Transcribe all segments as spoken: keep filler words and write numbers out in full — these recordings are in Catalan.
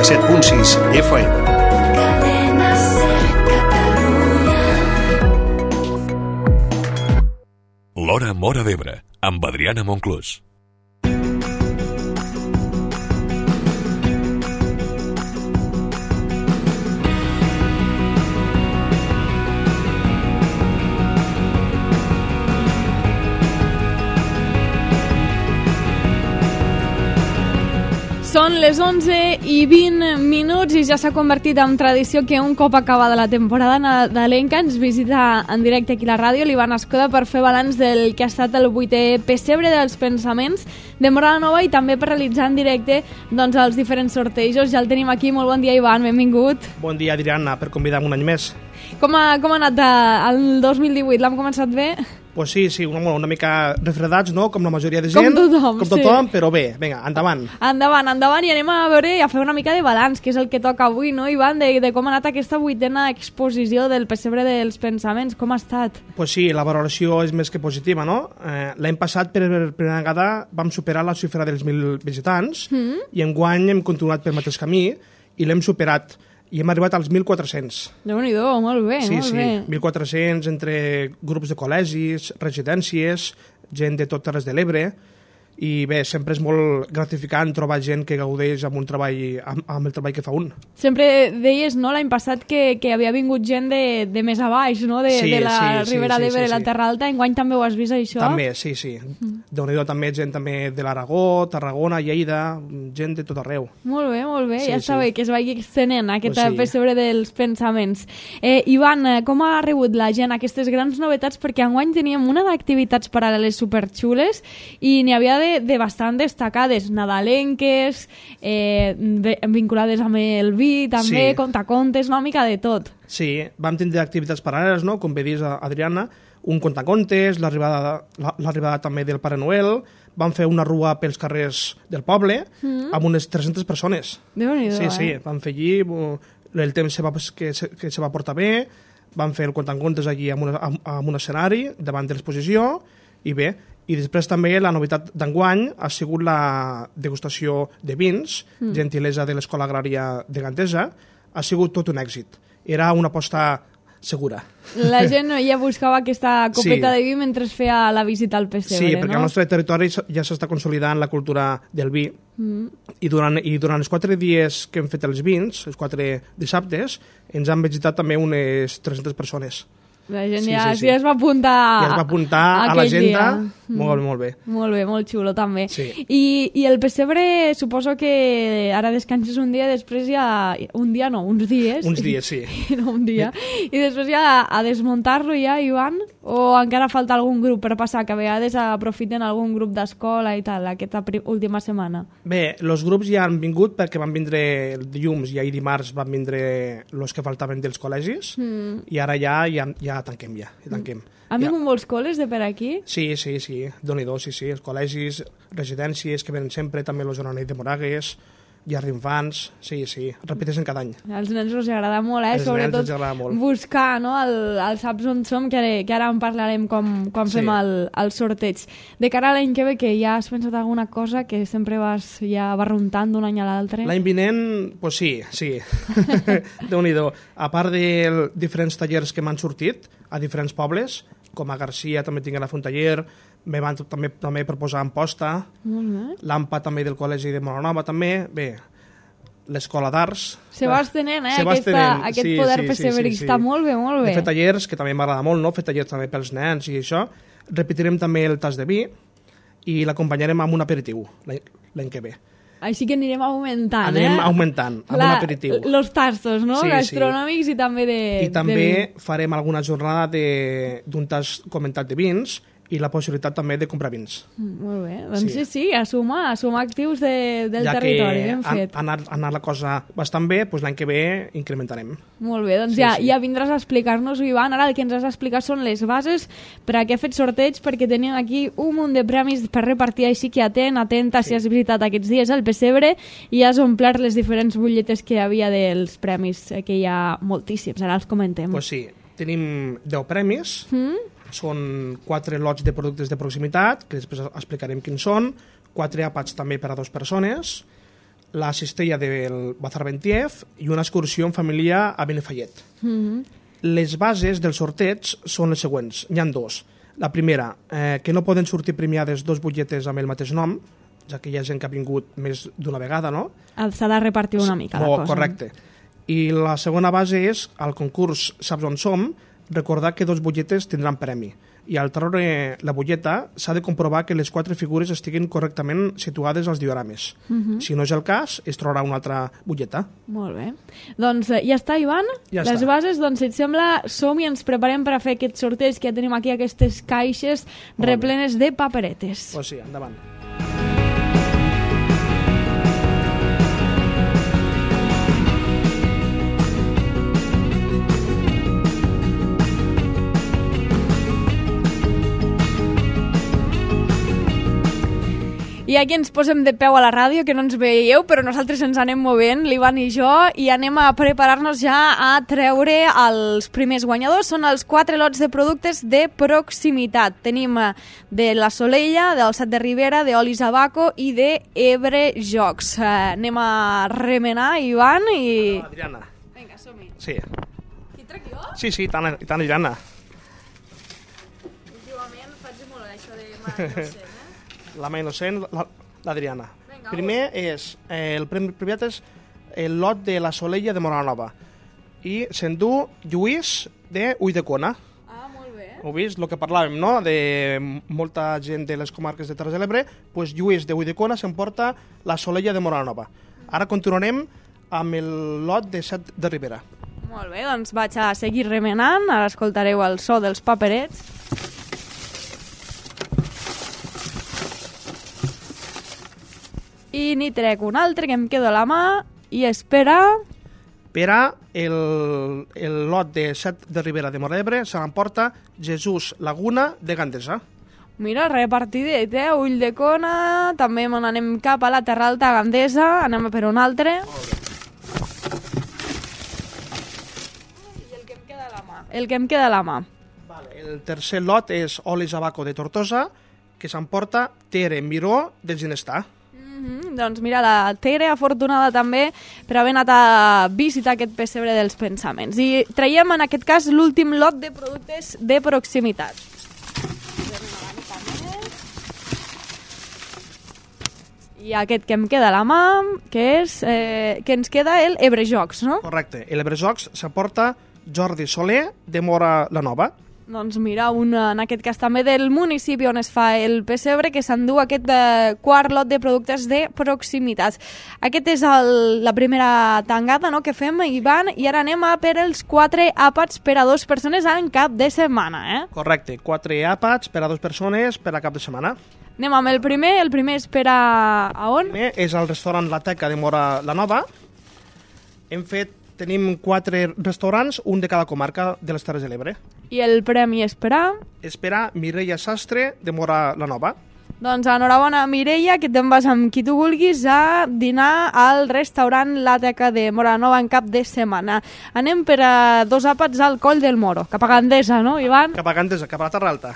set punt sis F M. L'Hora Móra d'Ebre, amb Adriana Monclús. Són les onze i vint minuts i ja s'ha convertit en tradició que un cop acabada la temporada nadalenca ens visita en directe aquí a la ràdio l'Ivan Escoda per fer balanç del que ha estat el vuitè pessebre dels pensaments de Móra la Nova i també per realitzar en directe doncs, els diferents sortejos. Ja el tenim aquí. Molt bon dia, Ivan, benvingut. Bon dia, Adriana, per convidar-me un any més. Com ha, com ha anat el dos mil divuit? L'hem començat bé? Pues sí, sí, una, una mica refredats, no?, com la majoria de gent. Com tothom, com tothom sí. Però bé, vinga, endavant. Endavant, endavant, i anem a veure i a fer una mica de balanç, que és el que toca avui, no, Ivan, de, de com ha anat aquesta vuitena exposició del pessebre dels pensaments, com ha estat? Pues sí, la valoració és més que positiva, no? Eh, L'any passat, per primera vegada, vam superar la xifra dels mil visitants, mm. i enguany hem continuat pel mateix camí i l'hem superat. I hem arribat als mil quatre-cents. Déu-n'hi-do, molt bé, sí, molt sí, bé. mil quatre-cents entre grups de col·legis, residències, gent de tot Terres de l'Ebre, i bé, sempre és molt gratificant trobar gent que gaudeix amb un treball amb, amb el treball que fa un. Sempre deies, no, l'any passat que, que havia vingut gent de, de més a baix, no? De, sí, de la sí, Ribera sí, d'Ebre, sí, la sí. Terra Alta. Enguany també ho has vist, això? També, sí, sí. Mm. Déu-n'hi-do, també gent també de l'Aragó, Tarragona, Lleida, gent de tot arreu. Molt bé, molt bé. Sí, ja està sí. bé que es vagi extenent aquest pues sí. pessebre dels pensaments. Eh, Ivan, com ha rebut la gent aquestes grans novetats? Perquè enguany teníem una d'activitats paral·leles superxules i n'hi havia de, de bastant destacades, nadalenques, eh, vinculades amb el vi, també, sí. contacontes, una mica de tot. Sí, vam tindre activitats paral·leles, no?, com bé dius, Adriana, un contacontes, l'arribada l'arribada també del Pare Noel, vam fer una rua pels carrers del poble, mm. amb unes tres-centes persones. Déu-n'hi-do, sí, sí, eh? vam fer allí, el temps se va, que, se, que se va portar bé, vam fer el contacontes allí amb, una, amb, amb un escenari davant de l'exposició, i bé, i després també la novetat d'enguany ha sigut la degustació de vins, mm. gentilesa de l'Escola Agrària de Gantesa, ha sigut tot un èxit. Era una aposta segura. La gent ja buscava aquesta copeta sí. de vi mentre feia la visita al pessebre, sí, no? perquè al nostre territori ja s'està consolidant la cultura del vi, mm. i, durant, i durant els quatre dies que hem fet els vins, els quatre dissabtes, ens han visitat també unes tres-centes persones. La gent sí, ja, sí, sí. ja es va apuntar, ja es va apuntar a l'agenda. Molt, molt bé. Molt bé, molt xulo també. Sí. I, I el pessebre suposo que ara descanses un dia, després ja... Un dia no, uns dies. Uns dies, sí. No, un dia. I després ja a desmuntar-lo ja, Ivan? O encara falta algun grup per passar, que a vegades aprofiten algun grup d'escola i tal, aquesta última setmana? Bé, els grups ja han vingut perquè van vindre el dilluns i ahir dimarts van vindre els que faltaven dels col·legis, mm. i ara ja, ja, ja tanquem, ja, ja tanquem. Han vingut ja. molts col·les de per aquí? Sí, sí, sí, Déu-n'hi-do, sí, sí, els col·legis, residències que venen sempre, també els Joanets de Moragues, llars d'infants, sí, sí, repeteixen cada any. Als nens els agrada molt, eh? Els Sobretot nens els agrada molt. buscar, no?, el, el saps on som, que ara, que ara en parlarem com, quan sí. fem el, el sorteig. De cara a l'any que ve, que ja has pensat alguna cosa que sempre vas ja barruntant d'un any a l'altre? L'any vinent, pues sí, sí. Déu-n'hi-do. A part de diferents tallers que m'han sortit a diferents pobles, com a Garcia també tinc a la Frontaller, me van també, també proposar Amposta, l'Ampa també del Col·legi de Móra també, bé, l'Escola d'Arts. Se va estenent, eh, se va aquesta, estenent. aquest sí, poder sí, pessebrista, sí, sí. molt bé, molt bé. He fet tallers, que també m'agrada molt, no? Fer tallers també pels nens i això. Repetirem també el tas de vi i l'acompanyarem amb un aperitiu l'any que ve. Així que anirem augmentant, Anirem eh? augmentant, amb La, un aperitiu. Los tastos, no? Sí, Gastronòmics sí. i també de I també de farem alguna jornada d'un tas comentat de vins i la possibilitat també de comprar vins. Mm, molt bé, doncs sí, Sí. sí, sí a sumar, a sumar actius de, del ja territori, que ben fet. ha anat, ha anat la cosa bastant bé, doncs l'any que ve incrementarem. Molt bé, doncs Sí, ja, sí. ja vindràs a explicar-nos, Ivan. Ara el que ens has d'explicar són les bases per a què he fet sorteig, perquè tenim aquí un munt de premis per repartir, així que atent, atenta, Sí. si has visitat aquests dies el pessebre i has omplert les diferents butlletes que hi havia dels premis, eh, que hi ha moltíssims, ara els comentem. Doncs pues sí, tenim deu premis, Mm? són quatre lots de productes de proximitat, que després explicarem quins són, quatre àpats també per a dues persones, la cistella del Bazarbentiev i una excursió en família a Benifallet. Mhm. Les bases del sorteig són les següents. N'hi ha dos. La primera, eh, que no poden sortir premiades dos butlletes amb el mateix nom, ja que hi ha gent que ha vingut més d'una vegada, no? S'ha de repartir una mica la Oh, cosa. correcte. I la segona base és, al concurs Saps on som, recordar que dos butlletes tindran premi. I al treure la butlleta s'ha de comprovar que les quatre figures estiguin correctament situades als diorames. Mhm. Si no és el cas, es trobarà una altra butlleta. Molt bé. Doncs eh, ja està, Ivan. Ja Les està. bases, doncs, si et sembla, som i ens preparem per a fer aquest sorteig, que ja tenim aquí aquestes caixes Molt bé. replenes de paperetes. Pues sí, endavant. I aquí ens posem de peu a la ràdio, que no ens veieu, però nosaltres ens anem movent, l'Ivan i jo, i anem a preparar-nos ja a treure els primers guanyadors. Són els quatre lots de productes de proximitat. Tenim eh, de la Solella, del Sat de Ribera, d'Olis Abaco i de Ebre Jocs. Eh, anem a remenar, Ivan, i... Adriana. Vinga, som-hi. Sí. Qui trec jo? Sí, sí, tant, tant Adriana. Últimament faig molt això de mà innocent, eh? La mà innocent, la- l'Adriana. Vinga, Primer és, eh, el premi privat és el lot de la Solella de Moranova. I s'endú Lluís de Ulldecona. Ah, molt bé. Heu vist el que parlàvem, no?, de molta gent de les comarques de Terres de l'Ebre, doncs Lluís de Ulldecona s'emporta la Solella de Moranova. Ara continuarem amb el lot de Sat de Ribera. Molt bé, doncs vaig a seguir remenant. Ara escoltareu el so dels paperets. I n'hi trec un altre que em quedo a la mà i espera... Per a el, el lot de Sat de Ribera de Móra d'Ebre se l'emporta Jesús Laguna de Gandesa. Mira, repartidet, eh? Ulldecona, també me n'anem cap a la Terra Alta Gandesa, anem a per un altre. I el que em queda a la mà. El que em queda a la mà. Vale. El tercer lot és Olis Abaco de Tortosa, que s'emporta Tere Miró de Ginestar. Mm-hmm. Doncs mira, la Tere, afortunada també per haver anat a visitar aquest pessebre dels pensaments. I traiem en aquest cas l'últim lot de productes de proximitat. I aquest que em queda a la mà, que és eh, que ens queda el Ebre Jocs, no? Correcte. El Ebrejocs s'emporta Jordi Soler de Móra la Nova. Doncs mira, un, en aquest cas també del municipi on es fa el pessebre, que s'endú aquest eh, quart lot de productes de proximitat. Aquest és el, la primera tangada, no?, que fem, Ivan, i ara anem a per els quatre àpats per a dues persones en cap de setmana, eh? Correcte. Quatre àpats per a dues persones per a cap de setmana. Anem amb el primer, el primer és per a... a on? Primer és el restaurant La Teca de Móra la Nova. Hem fet, tenim quatre restaurants, un de cada comarca de les Terres de l'Ebre. I el premi és per a... És per a Mireia Sastre de Móra la Nova. Doncs enhorabona, Mireia, que te'n vas amb qui tu vulguis a dinar al restaurant La Teca de Móra la Nova en cap de setmana. Anem per a dos àpats al Coll del Moro, cap a Gandesa, no, Ivan? Cap a Gandesa, cap a la Terra Alta.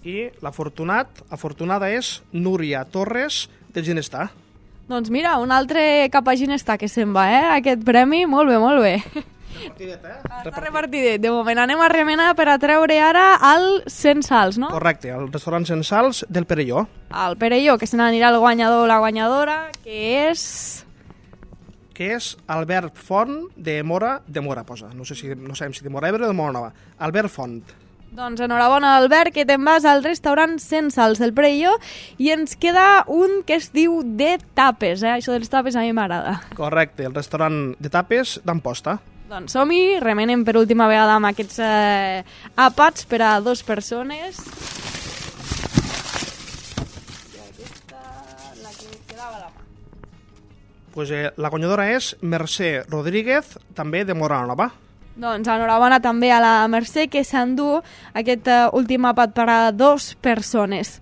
I l'afortunat, afortunada és Núria Torres de Ginestar. Doncs mira, un altre cap a Ginestar que se'n va, eh? Aquest premi, molt bé, molt bé. Repartidet, eh? Està repartidet. De moment anem a remenar per a treure ara el Censals, no? Correcte, el restaurant Censals del Perelló. El Perelló, que se n'anirà el guanyador o la guanyadora, que és... Que és Albert Font de Móra, de Móra, posa. No sé si, no sabem si de Móra Ebre o de Móra Nova. Albert Font. Doncs enhorabona, Albert, que te'n vas al restaurant Censals del Perelló i ens queda un que es diu de tapes, eh? Això dels tapes a mi m'agrada. Correcte, el restaurant de tapes d'Amposta. Doncs som-hi, remenem per última vegada amb aquests eh, àpats per a dues persones. I aquesta, la que quedava a la mà. Pues, eh, la guanyadora és Mercè Rodríguez, també de Móra la Nova. Doncs enhorabona també a la Mercè, que s'endú aquest uh, últim àpat per a dues persones.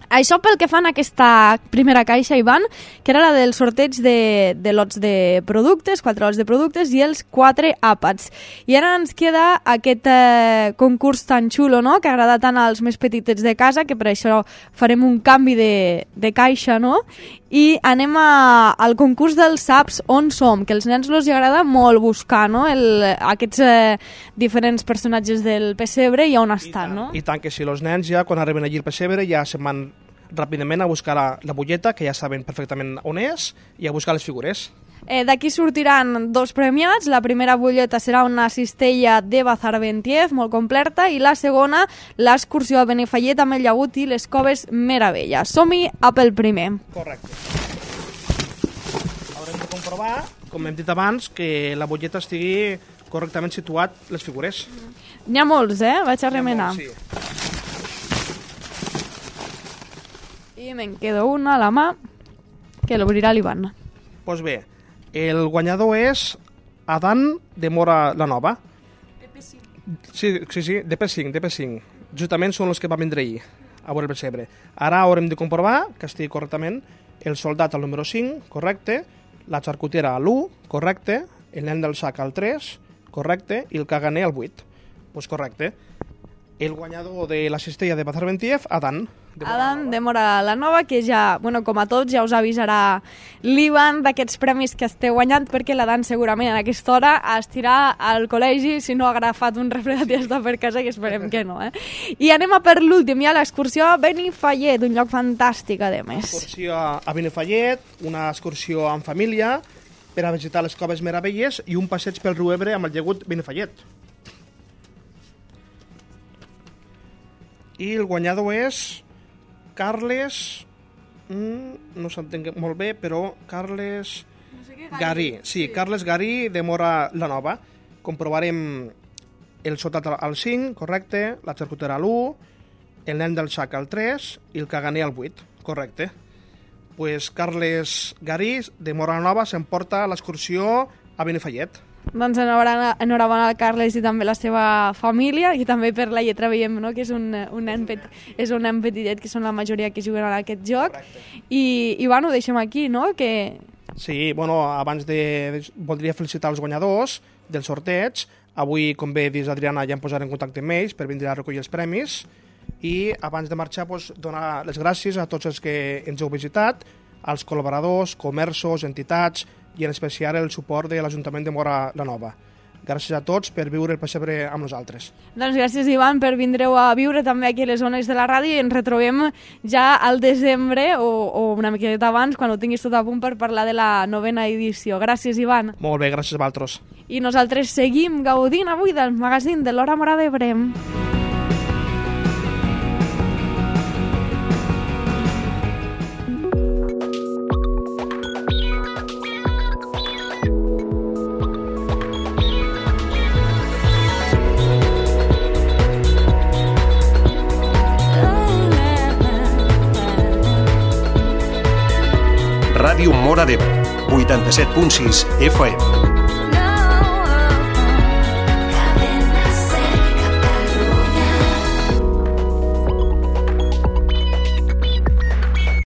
Això pel que fan a aquesta primera caixa, Ivan, que era la del sorteig de, de lots de productes, quatre lots de productes i els quatre àpats. I ara ens queda aquest eh, concurs tan xulo, no?, que agrada tant als més petitets de casa, que per això farem un canvi de, de caixa, no?, i anem a, al concurs dels saps on som, que als nens els agrada molt buscar, no?, el, aquests eh, diferents personatges del pessebre i on estan, no? I tant que sí, els nens ja quan arriben allí al pessebre ja se'n van ràpidament a buscar la, la butlleta, que ja saben perfectament on és, i a buscar les figures. Eh, D'aquí sortiran dos premiats. La primera butlleta serà una cistella de Bazarventiev, molt completa, i la segona, l'excursió a Benifallet amb el llagut i les coves Meravella. Som-hi a pel primer. Correcte. Haurem de comprovar, com hem dit abans, que la butlleta estigui correctament situat les figures. N'hi ha molts, eh? Vaig a remenar. Sí. I me'n quedo una a la mà, que l'obrirà l'Ivan. Doncs pues bé, el guanyador és Adan de Mora la Nova. D P cinc. Sí, sí, sí, D P cinc, D P cinc. Justament són els que va vindre ahir a veure el pessebre. Ara haurem de comprovar que estigui correctament el soldat al número cinc, correcte, la xarcutera a l'u, correcte, el nen del sac al tres, correcte, i el caganer al vuit. Doncs pues correcte. El guanyador de la cistella de Bazarventiev, Adan. De Adam de Mora la Nova, que ja, bueno, com a tots, ja us avisarà l'Ivan d'aquests premis que esteu guanyant, perquè l'Adan segurament a aquesta hora estirà al col·legi si no ha agafat un refredat i està per casa, que esperem que no, eh? I anem a per l'últim, ja l'excursió a Benifallet, un lloc fantàstic, a més. Excursió a Benifallet, una excursió en família per a visitar les coves Meravelles i un passeig pel riu Ebre amb el llagut Benifallet. I el guanyador és Carles... Mm, no s'entenc molt bé, però Carles... No sé què, Garí. Sí, sí, Carles Garí de Mora la Nova. Comprovarem el soldat al cinc, correcte, la xarcutera a l'u, el nen del sac al tres i el caganer al vuit, correcte. Pues Carles Garí de Mora la Nova s'emporta l'excursió a Benifallet. Doncs enhorabona, enhorabona al Carles i també la seva família, i també per la lletra veiem, no?, que és un, un, nen, pet, és un nen petitet, que són la majoria que juguen a aquest joc. I, i bueno, ho deixem aquí, no? Que... Sí, bueno, abans de... voldria felicitar els guanyadors del sorteig. Avui, com bé dius, Adriana, ja em posaré en contacte amb ells per vindre a recollir els premis. I abans de marxar, doncs, donar les gràcies a tots els que ens heu visitat, als col·laboradors, comerços, entitats, i en especial el suport de l'Ajuntament de Mora la Nova. Gràcies a tots per viure el pessebre amb nosaltres. Doncs gràcies, Ivan, per vindreu a viure també aquí a les zones de la ràdio, i ens retrobem ja al desembre o, o una miqueta abans, quan ho tinguis tot a punt, per parlar de la novena edició. Gràcies, Ivan. Molt bé, gràcies a vosaltres. I nosaltres seguim gaudint avui del magazín de l'Hora Mora d'Ebre. Ràdio Mora d'Ebre, vuitanta-set punt sis F M.